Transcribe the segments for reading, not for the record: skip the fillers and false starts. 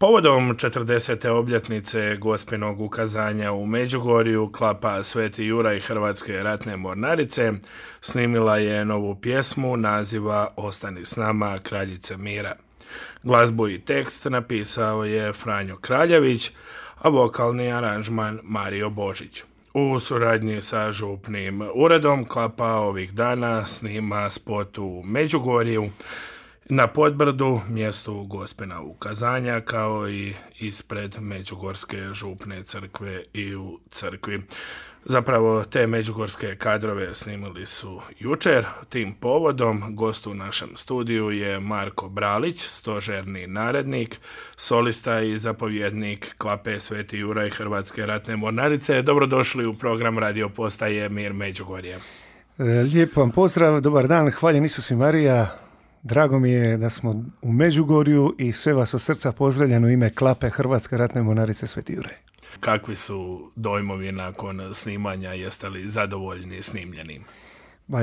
Povodom 40. obljetnice Gospinog ukazanja u Međugorju, klapa Sveti Juraj Hrvatske ratne mornarice snimila je novu pjesmu naziva Ostani s nama, Kraljice mira. Glazbu i tekst napisao je Franjo Kraljević, a vokalni aranžman Mario Božić. U suradnji sa župnim uredom klapa ovih dana snima spot u Međugorju, na Podbrdu, mjestu Gospina ukazanja, kao i ispred Međugorske župne crkve i u crkvi. Zapravo, te međugorske kadrove snimili su jučer. Tim povodom gost u našem studiju je Marko Bralić, stožerni narednik, solista i zapovjednik klape Sveti Juraj Hrvatske ratne mornarice. Dobrodošli u program radio postaje Mir Međugorje. Lijep vam pozdrav, dobar dan, hvaljen Isus i Marija. Drago mi je da smo u Međugorju i sve vas od srca pozdravljam u ime klape Hrvatske ratne mornarice Sveti Juraj. Kakvi su dojmovi nakon snimanja? Jeste li zadovoljni snimljenim?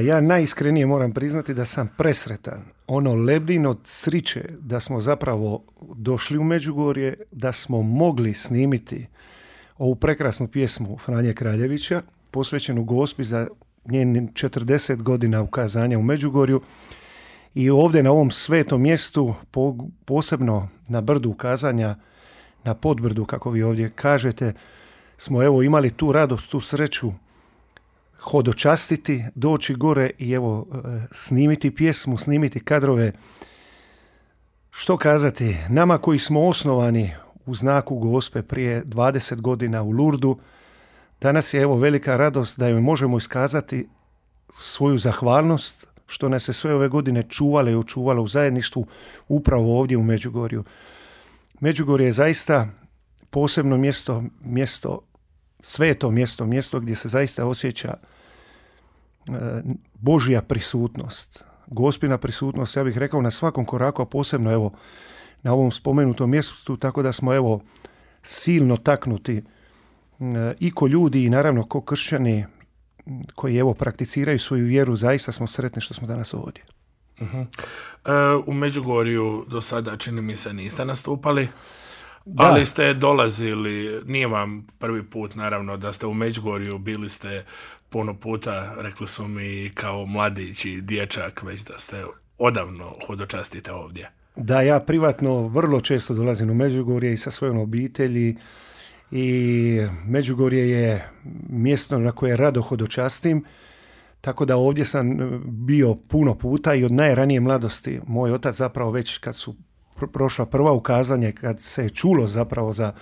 Ja najiskrenije moram priznati da sam presretan. Ono lebdim od sriće da smo zapravo došli u Međugorje, da smo mogli snimiti ovu prekrasnu pjesmu Franje Kraljevića, posvećenu Gospi za njen 40 godina ukazanja u Međugorju. I ovdje na ovom svetom mjestu, posebno na brdu ukazanja, na Podbrdu, kako vi ovdje kažete, smo evo imali tu radost, tu sreću hodočastiti, doći gore i evo snimiti pjesmu, snimiti kadrove. Što kazati, nama koji smo osnovani u znaku Gospe prije 20 godina u Lurdu, danas je evo velika radost da joj možemo iskazati svoju zahvalnost što nas se sve ove godine čuvalo i očuvalo u zajedništvu upravo ovdje u Međugorju. Međugorje je zaista posebno mjesto, sveto mjesto gdje se zaista osjeća Božja prisutnost, Gospina prisutnost, ja bih rekao na svakom koraku, a posebno evo na ovom spomenutom mjestu, tako da smo evo silno taknuti i ko ljudi i naravno ko kršćani koji evo prakticiraju svoju vjeru, zaista smo sretni što smo danas ovdje. U Međugorju do sada, čini mi se, niste nastupali, da. Ali ste dolazili, nije vam prvi put naravno da ste u Međugorju, bili ste puno puta, rekli su mi kao mladić i dječak, već da ste odavno hodočastite ovdje. Da, ja privatno vrlo često dolazim u Međugorje i sa svojom obitelji, i Međugorje je mjesto na koje rado hodočastim, tako da ovdje sam bio puno puta i od najranije mladosti. Moj otac zapravo već kad su prošla prva ukazanje, kad se je čulo zapravo za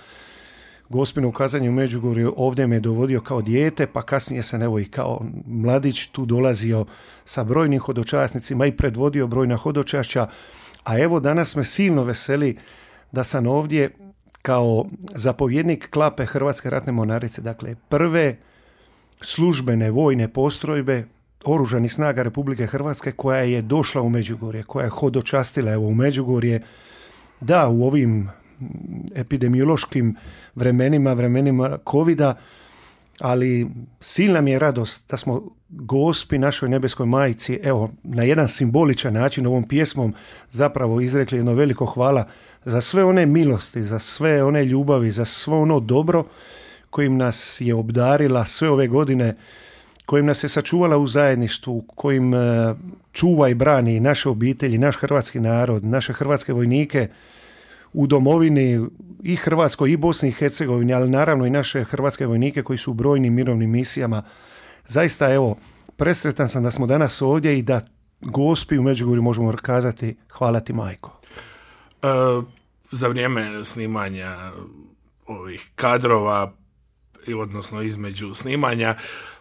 Gospino ukazanje u Međugorju, ovdje me dovodio kao dijete, pa kasnije sam evo i kao mladić tu dolazio sa brojnim hodočasnicima i predvodio brojna hodočašća, a evo danas me silno veseli da sam ovdje kao zapovjednik klape Hrvatske ratne mornarice, dakle prve službene vojne postrojbe Oružanih snaga Republike Hrvatske koja je došla u Međugorje, koja je hodočastila evo u Međugorje, da u ovim epidemiološkim vremenima covida, ali silna mi je radost da smo Gospi, našoj nebeskoj majci, evo na jedan simboličan način ovom pjesmom zapravo izrekli jedno veliko hvala za sve one milosti, za sve one ljubavi, za svo ono dobro kojim nas je obdarila sve ove godine, kojim nas je sačuvala u zajedništvu, kojim čuva i brani naše obitelji, naš hrvatski narod, naše hrvatske vojnike u domovini i Hrvatskoj i Bosni i Hercegovini, ali naravno i naše hrvatske vojnike koji su u brojnim mirovnim misijama. Zaista evo, presretan sam da smo danas ovdje i da Gospi u Međugorju možemo kazati hvala ti majko. Za vrijeme snimanja ovih kadrova, odnosno između snimanja,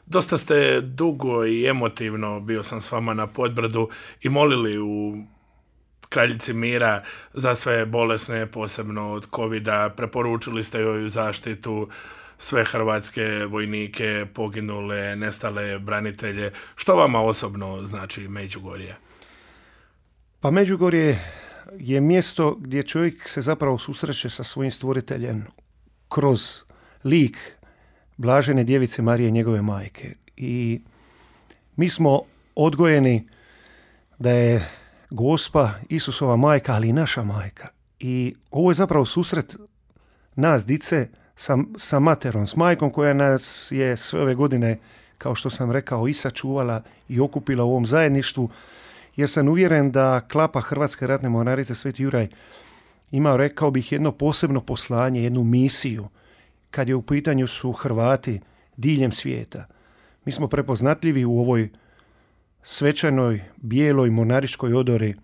dosta ste dugo i emotivno, bio sam s vama na Podbrdu, i molili u Kraljici mira za sve bolesne, posebno od covida, preporučili ste joj zaštitu, sve hrvatske vojnike, poginule, nestale branitelje. Što vama osobno znači Međugorje? Pa Međugorje je mjesto gdje čovjek se zapravo susreće sa svojim stvoriteljem kroz lik Blažene djevice Marije, njegove majke. I mi smo odgojeni da je Gospa Isusova majka, ali i naša majka. I ovo je zapravo susret nas, dice, sa materom, s majkom koja nas je sve ove godine, kao što sam rekao, i sačuvala i okupila u ovom zajedništvu, jer sam uvjeren da klapa Hrvatske ratne mornarice Sveti Juraj ima, rekao bih, jedno posebno poslanje, jednu misiju, kad je u pitanju su Hrvati diljem svijeta. Mi smo prepoznatljivi u ovoj svečanoj, bijeloj mornaričkoj odori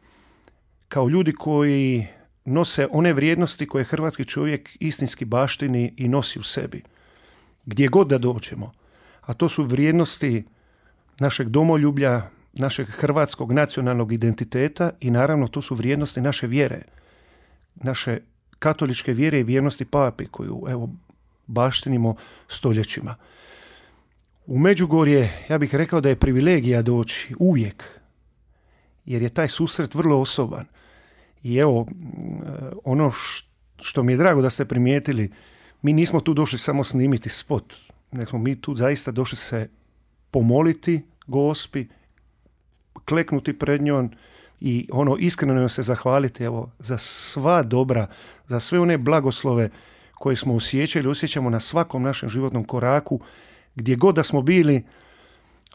kao ljudi koji nose one vrijednosti koje hrvatski čovjek istinski baštini i nosi u sebi. Gdje god da dođemo. A to su vrijednosti našeg domoljublja, našeg hrvatskog nacionalnog identiteta i naravno to su vrijednosti naše vjere. Naše katoličke vjere i vjernosti papi koju baštinimo stoljećima. U Međugorje, ja bih rekao da je privilegija doći uvijek, jer je taj susret vrlo osoban. I evo, ono što mi je drago da ste primijetili, mi nismo tu došli samo snimiti spot, nego smo mi tu zaista došli se pomoliti Gospi, kleknuti pred njom i iskreno se zahvaliti za sva dobra, za sve one blagoslove koje smo osjećamo na svakom našem životnom koraku, gdje god da smo bili,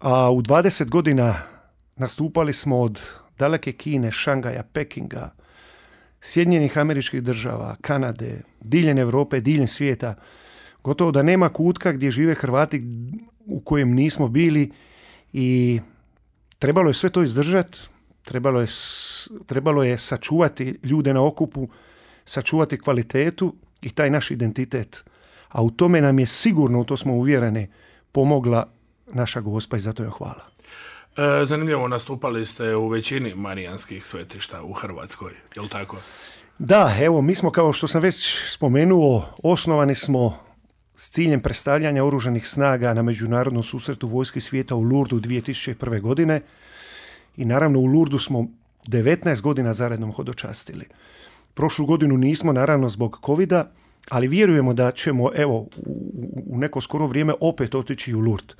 a u 20 godina nastupali smo od daleke Kine, Šangaja, Pekinga, Sjedinjenih Američkih Država, Kanade, diljem Europe, diljem svijeta. Gotovo da nema kutka gdje žive Hrvati u kojem nismo bili i trebalo je sve to izdržati, trebalo je sačuvati ljude na okupu, sačuvati kvalitetu i taj naš identitet. A u tome nam je sigurno, u to smo uvjereni, pomogla naša Gospa i zato joj hvala. Zanimljivo, nastupali ste u većini marijanskih svetišta u Hrvatskoj, je li tako? Da, evo, mi smo, kao što sam već spomenuo, osnovani smo s ciljem predstavljanja oružanih snaga na međunarodnom susretu vojski svijeta u Lurdu 2001. godine i naravno u Lurdu smo 19 godina zaredom hodočastili. Prošlu godinu nismo, naravno zbog covida, ali vjerujemo da ćemo u neko skoro vrijeme opet otići u Lurd.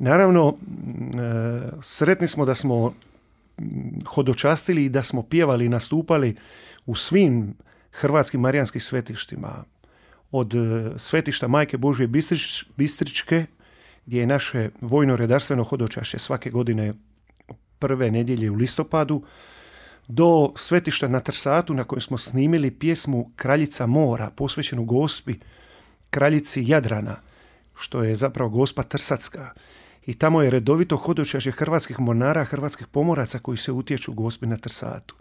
Naravno, sretni smo da smo hodočastili i da smo pjevali i nastupali u svim hrvatskim marijanskim svetištima. Od svetišta Majke Božje Bistričke, gdje je naše vojno-redarstveno hodočašće svake godine prve nedjelje u listopadu, do svetišta na Trsatu na kojem smo snimili pjesmu Kraljica mora, posvećenu Gospi, kraljici Jadrana, što je zapravo Gospa Trsatska. I tamo je redovito hodočašće hrvatskih mornara, hrvatskih pomoraca koji se utječu Gospi na Trsatu.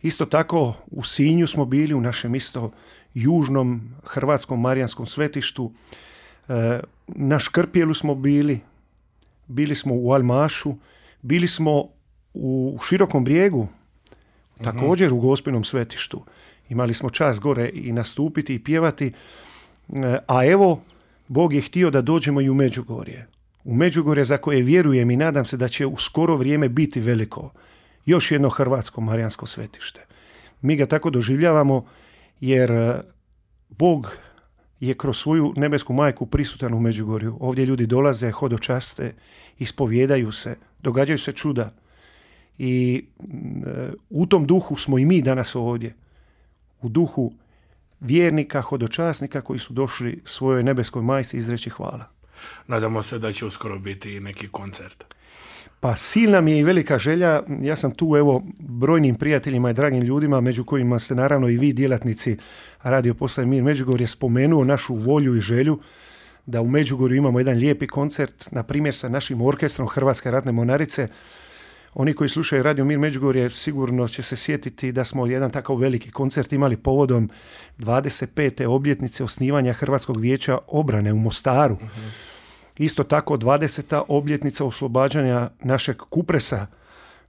Isto tako u Sinju smo bili, u našem isto južnom hrvatskom marijanskom svetištu. Na Škrpjelu smo bili smo u Almašu, bili smo u Širokom Brijegu, također u Gospinom svetištu. Imali smo čast gore i nastupiti i pjevati. A evo, Bog je htio da dođemo i u Međugorje. U Međugorje za koje vjerujem i nadam se da će u skoro vrijeme biti veliko. Još jedno hrvatsko marijansko svetište. Mi ga tako doživljavamo jer Bog je kroz svoju nebesku majku prisutan u Međugorju. Ovdje ljudi dolaze, hodočaste, ispovjedaju se, događaju se čuda. I u tom duhu smo i mi danas ovdje. U duhu vjernika, hodočasnika koji su došli svojoj nebeskoj majci izreći hvala. Nadamo se da će uskoro biti i neki koncert. Pa silna mi je i velika želja. Ja sam tu brojnim prijateljima i dragim ljudima, među kojima ste naravno i vi djelatnici Radio Postaje Mir Međugorje, spomenuo našu volju i želju da u Međugorju imamo jedan lijepi koncert, na primjer sa našim orkestrom Hrvatske ratne mornarice. Oni koji slušaju Radio Mir Međugorje sigurno će se sjetiti da smo jedan takav veliki koncert imali povodom 25. obljetnice osnivanja Hrvatskog vijeća obrane u Mostaru. Isto tako 20. obljetnica oslobađanja našeg Kupresa,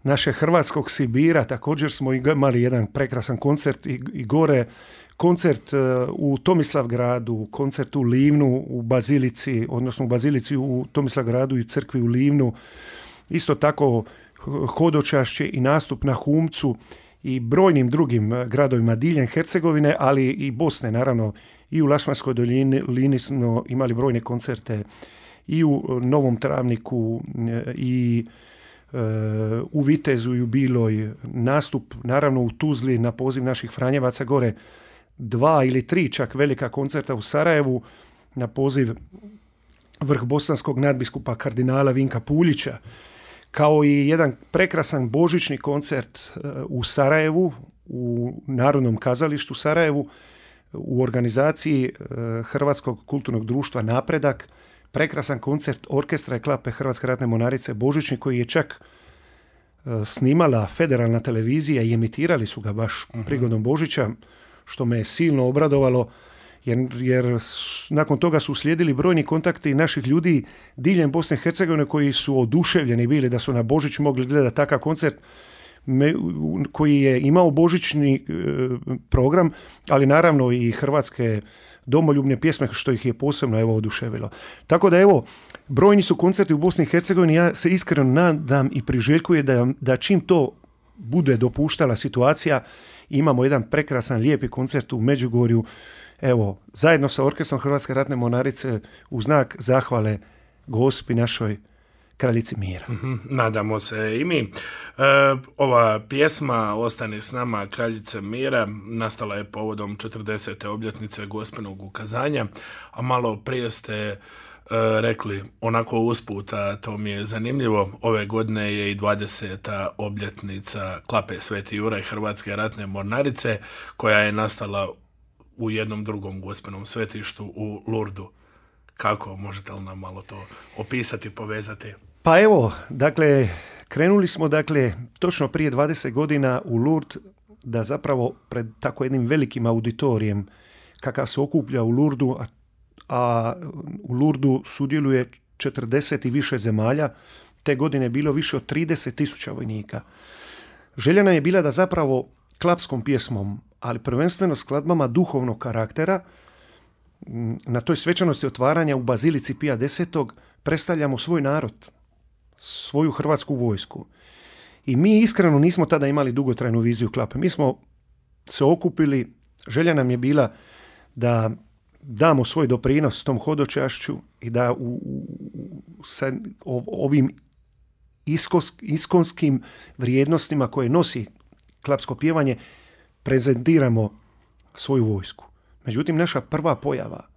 našeg hrvatskog Sibira. Također smo imali jedan prekrasan koncert i gore. Koncert u Tomislavgradu, koncert u Livnu, u Bazilici, odnosno u Bazilici u Tomislavgradu i crkvi u Livnu. Isto tako hodočašće i nastup na Humcu i brojnim drugim gradovima diljem Hercegovine, ali i Bosne, naravno. I u Lašmanskoj dolini smo imali brojne koncerte i u Novom Travniku i u Vitezu i u Biloj, nastup naravno u Tuzli na poziv naših Franjevaca gore, 2 ili 3 čak velika koncerta u Sarajevu na poziv vrh bosanskog nadbiskupa kardinala Vinka Puljića, kao i jedan prekrasan božićni koncert u Sarajevu, u Narodnom kazalištu Sarajevu, u organizaciji Hrvatskog kulturnog društva Napredak, prekrasan koncert orkestra i klape Hrvatske ratne mornarice Božićni, koji je čak snimala federalna televizija i emitirali su ga baš prigodom Božića, što me je silno obradovalo, jer nakon toga su uslijedili brojni kontakti naših ljudi diljem Bosne i Hercegovine koji su oduševljeni bili da su na Božić mogli gledati takav koncert koji je imao božićni program, ali naravno i hrvatske domoljubne pjesme, što ih je posebno oduševilo. Tako da brojni su koncerti u Bosni i Hercegovini, ja se iskreno nadam i priželjkujem da čim to bude dopuštala situacija, imamo jedan prekrasan, lijepi koncert u Međugorju, zajedno sa orkestrom Hrvatske ratne mornarice u znak zahvale Gospi našoj, kraljici mira. Nadamo se i mi. Ova pjesma Ostani s nama, kraljice mira, nastala je povodom 40. obljetnice Gospinog ukazanja, a malo prije ste rekli onako usput, a to mi je zanimljivo, ove godine je i 20. obljetnica klape Sveti Juraj Hrvatske ratne mornarice, koja je nastala u jednom drugom Gospinom svetištu u Lurdu. Kako, možete li nam malo to opisati, povezati? Pa krenuli smo točno prije 20 godina u Lurd, da zapravo pred tako jednim velikim auditorijem kakav se okuplja u Lurdu, a u Lurdu sudjeluje 40 i više zemalja, te godine je bilo više od 30.000 vojnika. Želja nam je bila da zapravo klapskom pjesmom, ali prvenstveno skladbama duhovnog karaktera, na toj svečanosti otvaranja u Bazilici Pija X predstavljamo svoj narod, svoju hrvatsku vojsku. I mi iskreno nismo tada imali dugotrajnu viziju klape. Mi smo se okupili, želja nam je bila da damo svoj doprinos tom hodočašću i da sa ovim iskonskim vrijednostima koje nosi klapsko pjevanje prezentiramo svoju vojsku. Međutim, naša prva pojava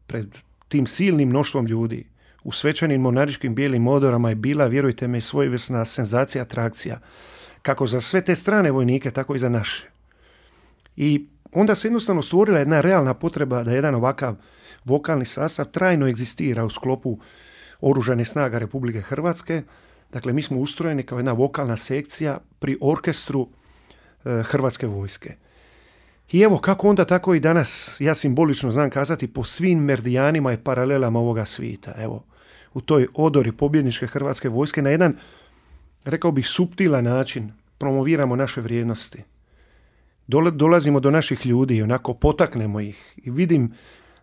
pred tim silnim mnoštvom ljudi u svečanim monaričkim bijelim odorama je bila, vjerujte me, svojevrsna senzacija, atrakcija. Kako za sve te strane vojnike, tako i za naše. I onda se jednostavno stvorila jedna realna potreba da jedan ovakav vokalni sastav trajno egzistira u sklopu Oružanih snaga Republike Hrvatske. Dakle, mi smo ustrojeni kao jedna vokalna sekcija pri orkestru Hrvatske vojske. I kako onda, tako i danas, ja simbolično znam kazati, po svim meridijanima i paralelama ovoga svijeta. U toj odori pobjedničke Hrvatske vojske na jedan, rekao bih, suptilan način promoviramo naše vrijednosti. Dolazimo do naših ljudi, onako potaknemo ih i vidim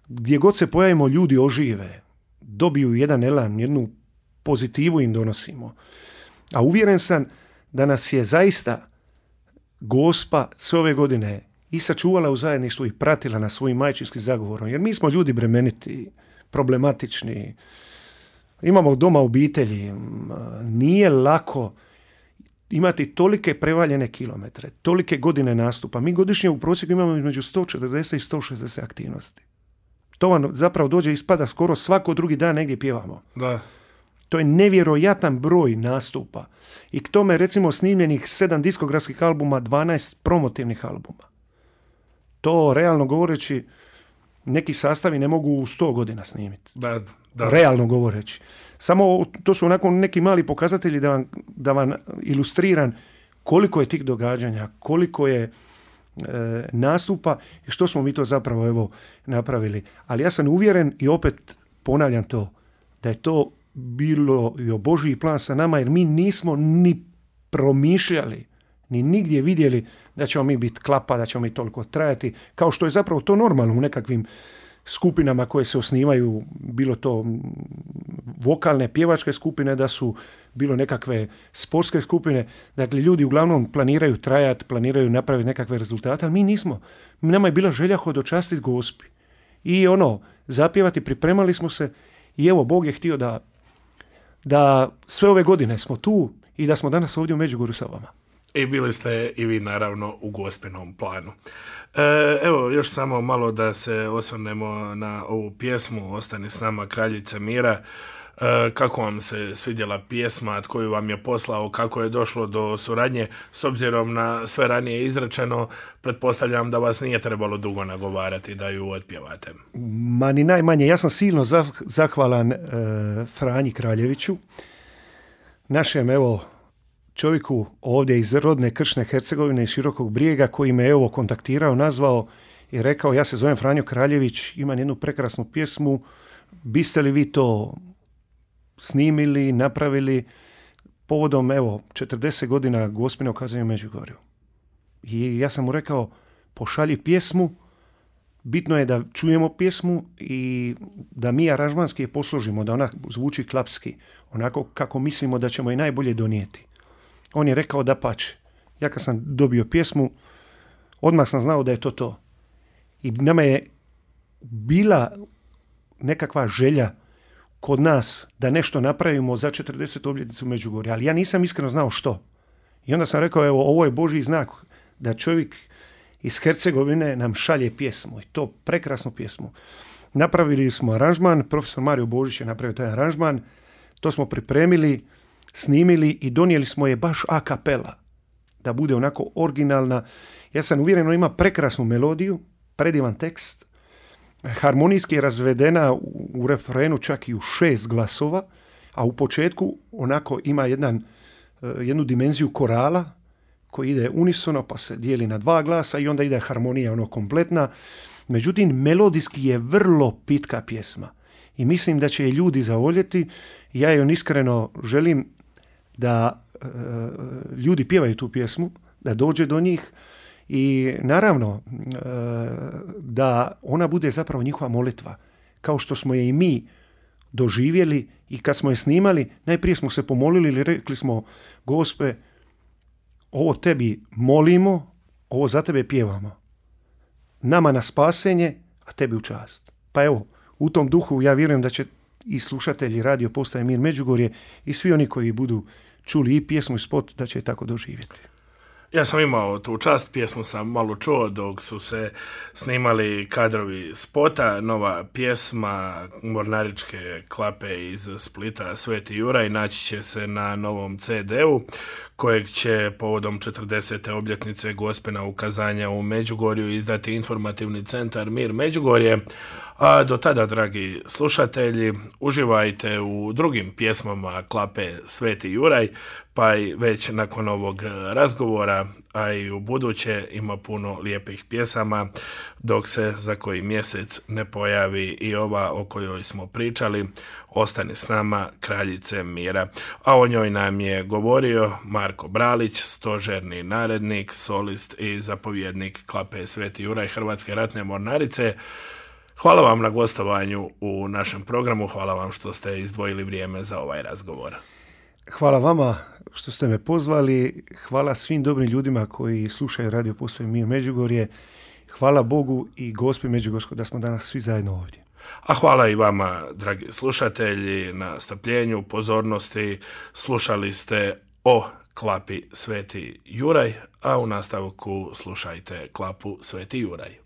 gdje god se pojavimo ljudi ožive, dobiju jedan elan, jednu pozitivu im donosimo. A uvjeren sam da nas je zaista Gospa sve ove godine i sačuvala u zajedništvu i pratila nas svojim majčinskim zagovorom. Jer mi smo ljudi bremeniti, problematični, imamo doma obitelji, nije lako imati tolike prevaljene kilometre, tolike godine nastupa. Mi godišnje u prosjeku imamo između 140 i 160 aktivnosti. To vam zapravo dođe, ispada skoro svako drugi dan negdje pjevamo. Da. To je nevjerojatan broj nastupa. I k tome recimo snimljenih 7 diskografskih albuma, 12 promotivnih albuma. To, realno govoreći, neki sastavi ne mogu u 100 godina snimiti. Da. Realno govoreći. Samo to su onako neki mali pokazatelji da vam ilustriram koliko je tih događanja, koliko je nastupa i što smo mi to zapravo napravili. Ali ja sam uvjeren i opet ponavljam to, da je to bilo i Božji plan sa nama, jer mi nismo ni promišljali, ni nigdje vidjeli da ćemo mi biti klapa, da ćemo mi toliko trajati, kao što je zapravo to normalno u nekakvim skupinama koje se osnivaju, bilo to vokalne, pjevačke skupine, da su bilo nekakve sportske skupine. Dakle, ljudi uglavnom planiraju trajati, planiraju napraviti nekakve rezultate, ali mi nismo. Nama je bila želja hodočastiti Gospi. I zapjevati, pripremali smo se i Bog je htio da sve ove godine smo tu i da smo danas ovdje u Međugorju sa vama. I bili ste i vi naravno u Gospinom planu. Evo još samo malo da se osvrnemo na ovu pjesmu Ostani s nama kraljice mira. Kako vam se svidjela pjesma, tko ju vam je poslao, kako je došlo do suradnje, s obzirom na sve ranije izrečeno, pretpostavljam da vas nije trebalo dugo nagovarati da ju otpjevate. Ma ni najmanje, ja sam silno zahvalan Franji Kraljeviću, našem čovjeku ovdje iz rodne Kršne Hercegovine i Širokog Brijega, koji me kontaktirao, nazvao i rekao, ja se zovem Franjo Kraljević, imam jednu prekrasnu pjesmu, biste li vi to snimili, napravili povodom 40 godina Gospinog kazanja u Međugorju. I ja sam mu rekao, pošalji pjesmu, bitno je da čujemo pjesmu i da mi aranžmanski je posložimo, da ona zvuči klapski, onako kako mislimo da ćemo je najbolje donijeti. On je rekao da pače. Ja kad sam dobio pjesmu, odmah sam znao da je to. I nama je bila nekakva želja kod nas da nešto napravimo za 40. obljetnicu Međugorja, ali ja nisam iskreno znao što. I onda sam rekao, ovo je Božji znak da čovjek iz Hercegovine nam šalje pjesmu, i to prekrasnu pjesmu. Napravili smo aranžman, profesor Mario Božić je napravio taj aranžman, to smo pripremili, snimili i donijeli smo je baš a cappella, da bude onako originalna. Ja sam uvjeren, ona ima prekrasnu melodiju, predivan tekst, harmonijski je razvedena u refrenu čak i u 6 glasova, a u početku onako ima jednu dimenziju korala koji ide unisono pa se dijeli na 2 glasa i onda ide harmonija kompletna. Međutim, melodijski je vrlo pitka pjesma i mislim da će je ljudi zavoljeti. Ja joj iskreno želim da ljudi pjevaju tu pjesmu, da dođe do njih i naravno da ona bude zapravo njihova molitva, kao što smo je i mi doživjeli. I kad smo je snimali, najprije smo se pomolili ili rekli smo, Gospe, ovo tebi molimo, ovo za tebe pjevamo. Nama na spasenje, a tebi u čast. Pa u tom duhu ja vjerujem da će i slušatelji Radio Postaje Mir Međugorje i svi oni koji budu čuli i pjesmu i spot, da će je tako doživjeti. Ja sam imao tu čast, pjesmu sam malo čuo dok su se snimali kadrovi spota, nova pjesma mornaričke klape iz Splita Sveti Juraj naći će se na novom CD-u kojeg će povodom 40. obljetnice Gospina ukazanja u Međugorju izdati informativni centar Mir Međugorje. A do tada, dragi slušatelji, uživajte u drugim pjesmama klape Sveti Juraj, pa i već nakon ovog razgovora, a i u buduće ima puno lijepih pjesama, dok se za koji mjesec ne pojavi i ova o kojoj smo pričali, Ostani s nama kraljice mira. A o njoj nam je govorio Marko Bralić, stožerni narednik, solist i zapovjednik klape Sveti Juraj Hrvatske ratne mornarice. Hvala vam na gostovanju u našem programu, hvala vam što ste izdvojili vrijeme za ovaj razgovor. Hvala vama što ste me pozvali, hvala svim dobrim ljudima koji slušaju Radio Postaje Mir Međugorje, hvala Bogu i Gospi Međugorskoj da smo danas svi zajedno ovdje. A hvala i vama, dragi slušatelji, na strpljenju, pozornosti. Slušali ste o klapi Sveti Juraj, a u nastavku slušajte klapu Sveti Juraj.